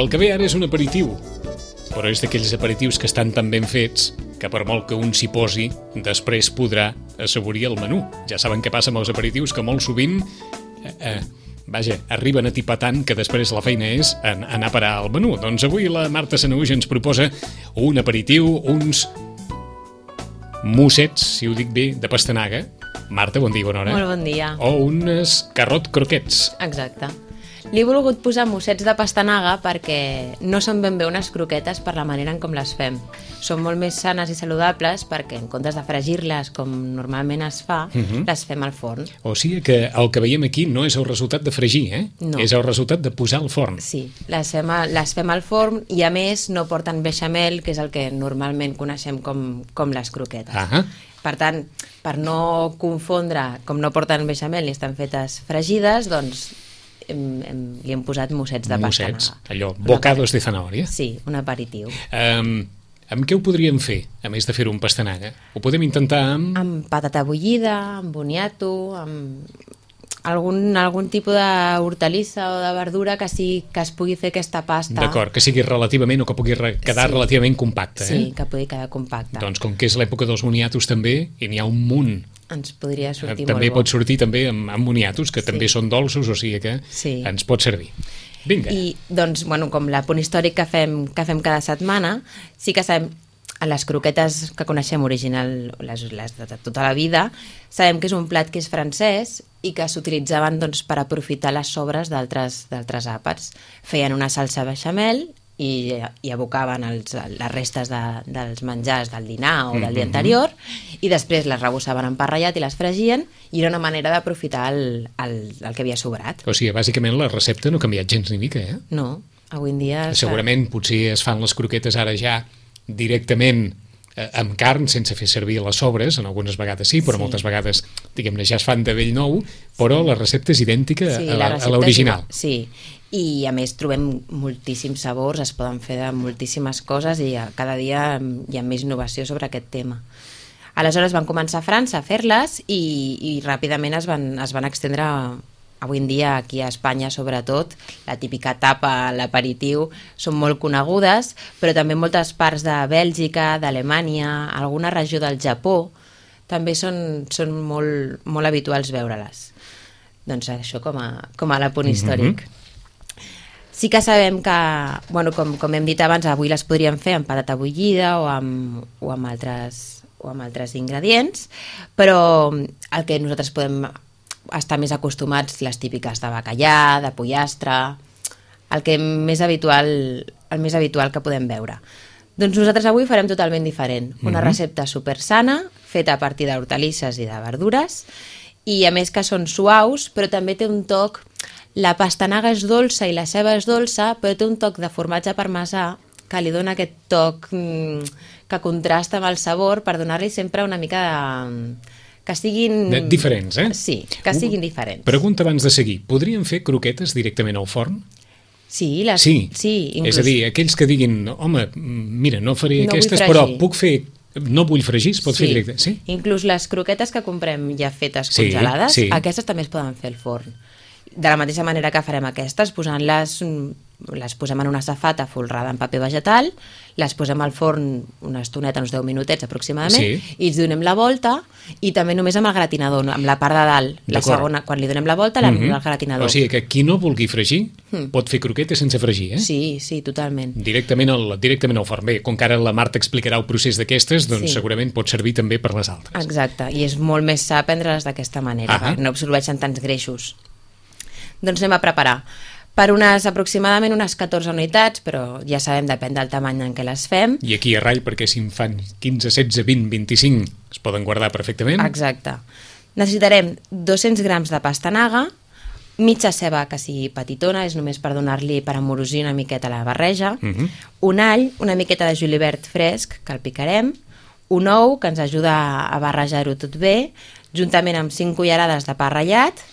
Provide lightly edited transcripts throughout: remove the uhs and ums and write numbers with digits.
El que ve ara és un aperitiu, però és d'aquells aperitius que estan tan ben fets que per molt que un s'hi posi, després podrà assaborir el menú. Ja saben què passa amb els aperitius, que molt sovint arriben a tipar tant que després la feina és anar a parar al menú. Doncs avui la Marta Sanahuja ens proposa un aperitiu, uns mossets, si ho dic bé, de pastanaga. Marta, bon dia, bona hora. Molt bon dia. O unes carrot croquets. Exacte. Li he volgut posar mossets de pastanaga perquè no són ben bé unes croquetes per la manera en com les fem. Són molt més sanes i saludables perquè en comptes de fregir-les com normalment es fa, les fem al forn. O sigui que el que veiem aquí no és el resultat de fregir, No. És el resultat de posar al forn. Sí, les fem al forn i a més no porten beixamel, que és el que normalment coneixem com les croquetes. Ah. Per tant, per no confondre, com no porten beixamel ni estan fetes fregides, doncs li hem posat mossets de pastanaga. Allò, bocados de zanahoria. Sí, un aperitiu. Amb què ho podríem fer, a més de fer un pastanaga? Ho podem intentar amb... Amb patata bullida, amb boniato, amb algun tipus d'hortalissa o de verdura que es pugui fer aquesta pasta. D'acord, que sigui relativament o que pugui quedar relativament compacta. Sí, que pugui quedar compacta. Doncs com que és l'època dels boniatos també, i n'hi ha un munt. Ens podria sortir també molt bo. pot sortir també amb boniatos, que també són dolços, o sigui que ens pot servir. Vinga. I doncs, com l'apunt històric que fem cada setmana, sí que sabem, a les croquetes que coneixem original, les de tota la vida, sabem que és un plat que és francès i que s'utilitzaven per aprofitar les sobres d'altres àpats. Feien una salsa bechamel i abocaven les restes dels menjars del dinar o del dia anterior i després les rebossaven en pa ratllat i les fregien i era una manera d'aprofitar el que havia sobrat. O sigui, bàsicament la recepta no ha canviat gens ni mica, No, avui en dia... Segurament potser es fan les croquetes ara ja directament amb carn, sense fer servir les sobres, en algunes vegades sí, però moltes vegades, diguem-ne, ja es fan de vell nou, però la recepta és idèntica a l'original. Sí, i a més trobem moltíssims sabors, es poden fer de moltíssimes coses i cada dia hi ha més innovació sobre aquest tema. Aleshores van començar a França a fer-les i ràpidament es van estendre avui en dia aquí a Espanya, sobretot, la típica tapa, l'aperitiu, són molt conegudes, però també en moltes parts de Bèlgica, d'Alemanya, alguna regió del Japó, també són molt, molt habituals veure-les. Doncs això com a l'apunt històric. Sí que sabem que, com hem dit abans, avui les podríem fer amb patata bullida o amb altres ingredients, però el que nosaltres podem estar més acostumats, les típiques de bacallà, de pollastre, el més habitual que podem veure. Doncs nosaltres avui farem totalment diferent. Una recepta super sana, feta a partir d'hortalisses i de verdures, i a més que són suaus, però també té un toc... La pastanaga és dolça i la ceba és dolça, però té un toc de formatge parmesà que li dona aquest toc que contrasta amb el sabor per donar-li sempre una mica de... que siguin... Diferents, Sí, que siguin diferents. Pregunta abans de seguir. Podrien fer croquetes directament al forn? Sí, inclús... És a dir, aquells que diguin, home, mira, no faré aquestes, però puc fer... No vull fregir, es pot fer directe. Sí, inclús les croquetes que comprem ja fetes congelades, aquestes també es poden fer al forn. De la mateixa manera que farem aquestes, les posem en una safata folrada en paper vegetal, les posem al forn una estoneta, uns 10 minutets aproximadament, i els donem la volta, i també només amb el gratinador, amb la part de dalt. La segona, quan li donem la volta, l'anem al gratinador. O sigui que qui no vulgui fregir pot fer croquetes sense fregir, Sí, totalment. Directament al forn. Bé, com que ara la Marta explicarà el procés d'aquestes, doncs segurament pot servir també per les altres. Exacte, i és molt més sa prendre-les d'aquesta manera, perquè no absorbeixen tants greixos. Doncs anem a preparar. Per aproximadament unes 14 unitats, però ja sabem, depèn del tamany en què les fem. I aquí a ratll, perquè si en fan 15, 16, 20, 25, es poden guardar perfectament. Exacte. Necessitarem 200 grams de pastanaga, mitja ceba que sigui petitona, és només per donar-li, per amorosir una miqueta la barreja, un all, una miqueta de julivert fresc, que el picarem, un ou, que ens ajuda a barrejar-ho tot bé, juntament amb 5 cullerades de pa ratllat,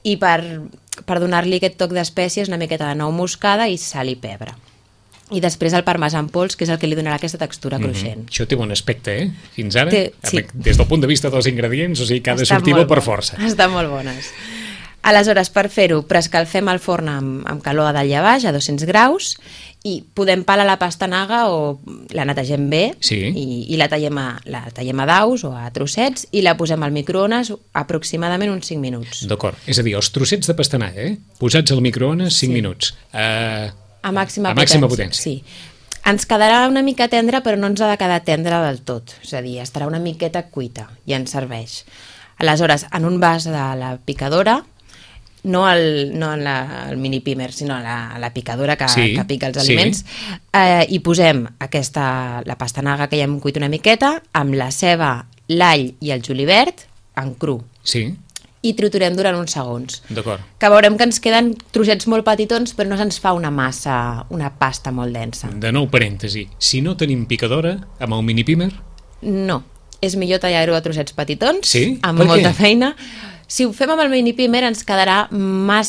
i per donar-li aquest toc d'espècies, una miqueta de nou moscada i sal i pebre. I després el parmesà en pols, que és el que li donarà aquesta textura cruixent. Això té bon aspecte, Fins ara, des del punt de vista dels ingredients, o sigui que ha de sortir bo per força. Estan molt bones. Aleshores, per fer-ho, preescalfem el forn amb calor a dalt i a baix, a 200 graus, i podem pelar la pastanaga o la netegem bé i la tallem a daus o a trossets i la posem al microones aproximadament uns 5 minuts. D'acord, és a dir, els trossets de pastanaga, posats al microones 5 minuts. A màxima potència. Sí. Ens quedarà una mica tendre, però no ens ha de quedar tendre del tot. És a dir, estarà una miqueta cuita i ens serveix. Aleshores, en un vas de la picadora, no en el mini pimer, sinó a la picadora que pica els aliments, hi posem la pastanaga que ja hem cuit una miqueta, amb la ceba, l'all i el julivert, en cru. Sí. I triturem durant uns segons. D'acord. Que veurem que ens queden trossets molt petitons, però no se'ns fa una pasta molt densa. De nou parèntesi, si no tenim picadora, amb el mini pimer? No, és millor tallar-ho a trossets petitons, sí? Amb molta feina. Si ho fem amb el mini pimer ens quedarà una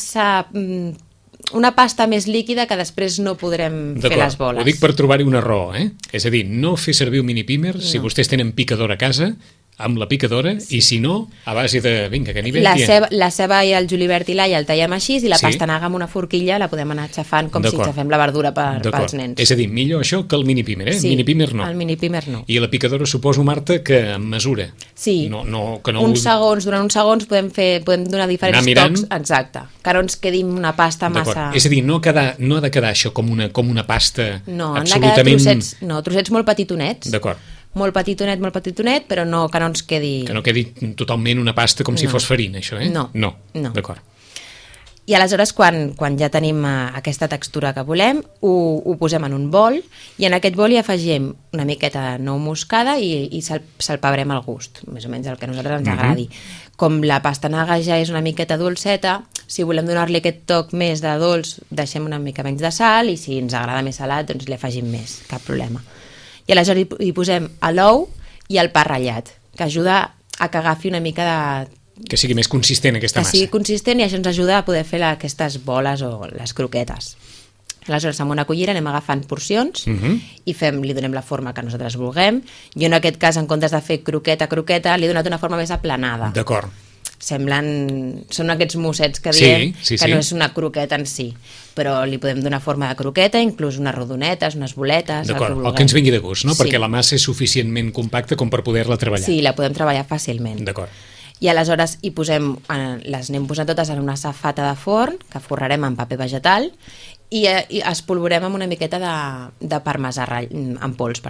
pasta més líquida que després no podrem fer les boles. Ho dic per trobar-hi una raó, És a dir, no fer servir un mini pimer si vostès tenen picadora a casa, amb la picadora, i si no, a base de, vinga, que nivell la ceba i el julivert i l'all el tallem així, i la pastanaga amb una forquilla la podem anar aixafant com si aixafem la verdura pels nens. És a dir, millor això que el mini pimer, Sí, mini pimer no. El mini pimer no. I la picadora suposo, Marta, que en mesura. Sí, durant uns segons podem donar diferents tocs, exacte, que no ens quedi una pasta massa... És a dir, no ha de quedar això com una pasta no, absolutament... trossets molt petitonets. D'acord. Molt petitonet, però que no ens quedi... Que no quedi totalment una pasta com si fos farina, això, No. D'acord. I aleshores, quan ja tenim aquesta textura que volem, ho posem en un bol, i en aquest bol hi afegim una miqueta de nou moscada i salpebrem al gust, més o menys el que a nosaltres ens agradi. Com la pastanaga ja és una miqueta dolceta, si volem donar-li aquest toc més de dolç, deixem una mica menys de sal, i si ens agrada més salat, doncs li afegim més, cap problema. I aleshores hi posem l'ou i el pa ratllat, que ajuda a que agafi una mica de... Que sigui més consistent aquesta massa. Que sigui consistent, i això ens ajuda a poder fer aquestes boles o les croquetes. Aleshores, amb una cullera anem agafant porcions i li donem la forma que nosaltres vulguem. Jo en aquest cas, en comptes de fer croqueta, li he donat una forma més aplanada. D'acord. Són aquests mossets que diem, que no és una croqueta en si, però li podem donar forma de croqueta, inclús unes rodonetes, unes boletes... D'acord, el que ens vingui de gust, no? Perquè la massa és suficientment compacta com per poder-la treballar. Sí, la podem treballar fàcilment. D'acord. I aleshores les anem posant totes en una safata de forn, que forrarem amb paper vegetal, i espolvorem amb una miqueta de parmesà en pols,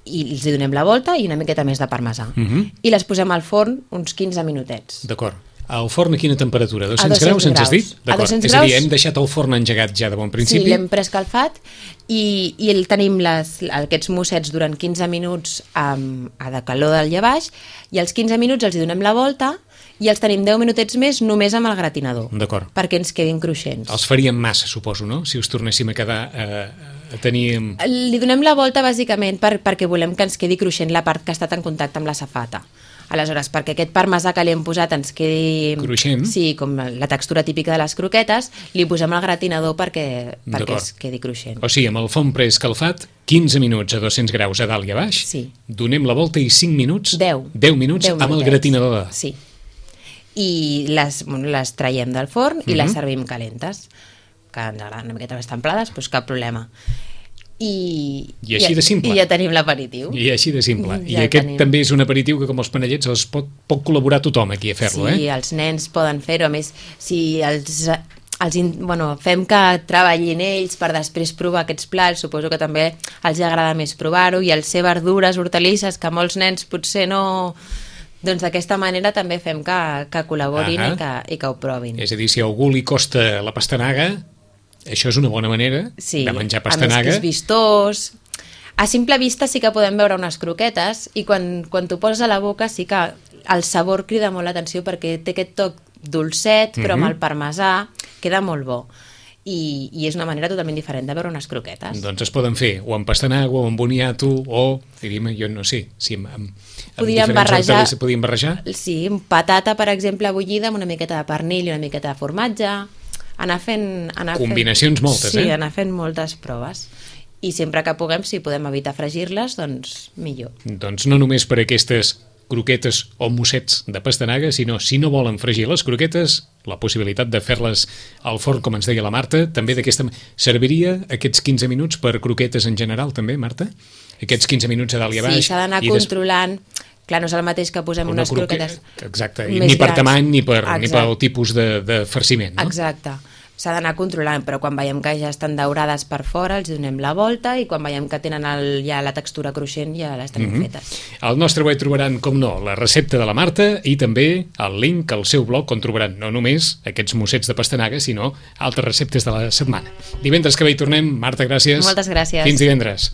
i els donem la volta i una miqueta més de parmesà. I les posem al forn uns 15 minutets. D'acord. El forn a quina temperatura? 200 graus, ens has dit? A 200 graus. És a dir, hem deixat el forn engegat ja de bon principi? Sí, l'hem preescalfat i tenim aquests mossets durant 15 minuts a de calor dalt i a baix, i als 15 minuts els donem la volta i els tenim 10 minutets més només amb el gratinador. D'acord. Perquè ens quedin cruixents. Els faríem massa, suposo, no? Si us tornéssim a quedar... Li donem la volta bàsicament perquè volem que ens quedi cruixent la part que ha estat en contacte amb la safata. Aleshores, perquè aquest parmesà que li hem posat ens quedi... Cruixent? Sí, com la textura típica de les croquetes, li posem al gratinador perquè es quedi cruixent. O sigui, amb el forn preescalfat, 15 minuts a 200 graus a dalt i a baix, donem la volta i 5 minuts... 10 minuts amb el gratinador. Sí. I les traiem del forn i les servim calentes, que ens agraden una miqueta més templades, doncs cap problema. I així de simple. I ja tenim l'aperitiu. I així de simple. I aquest també és un aperitiu que, com els panellets, els pot col·laborar tothom aquí a fer-lo, Sí, els nens poden fer-ho. A més, si fem que treballin ells per després provar aquests plats, suposo que també els agrada més provar-ho, i el ser verdures, hortalisses, que molts nens potser no... Doncs d'aquesta manera també fem que col·laborin i que ho provin. És a dir, si a algú li costa la pastanaga, això és una bona manera de menjar pastanaga. A més que és vistós. A simple vista sí que podem veure unes croquetes, i quan t'ho poses a la boca sí que el sabor crida molt l'atenció, perquè té aquest toc dolcet, però amb el parmesà queda molt bo. I és una manera totalment diferent de veure unes croquetes. Doncs es poden fer o amb pastanaga o amb boniato o, diríem, jo no sé, si amb podíem barrejar. Sí, patata, per exemple, bullida amb una miqueta de pernil i una miqueta de formatge. Combinacions moltes, Sí, anar fent moltes proves. I sempre que puguem, si podem evitar fregir-les, doncs millor. Doncs no només per aquestes croquetes o mossets de pastanaga, sinó si no volen fregir les croquetes, la possibilitat de fer-les al forn, com ens deia la Marta, també d'aquesta... Serviria aquests 15 minuts per croquetes en general, també, Marta? Aquests 15 minuts a dalt i a baix. Sí, s'ha d'anar controlant. Clar, no és el mateix que posem unes croquetes exacte, ni per tamany ni pel tipus de farciment, no? Exacte. S'ha d'anar controlant, però quan veiem que ja estan daurades per fora, els donem la volta i quan veiem que tenen ja la textura cruixent ja les tenim fetes. Al nostre web trobaran, com no, la recepta de la Marta i també el link al seu blog on trobaran no només aquests mossets de pastanaga, sinó altres receptes de la setmana. Divendres que ve hi tornem. Marta, gràcies. Moltes gràcies. Fins divendres.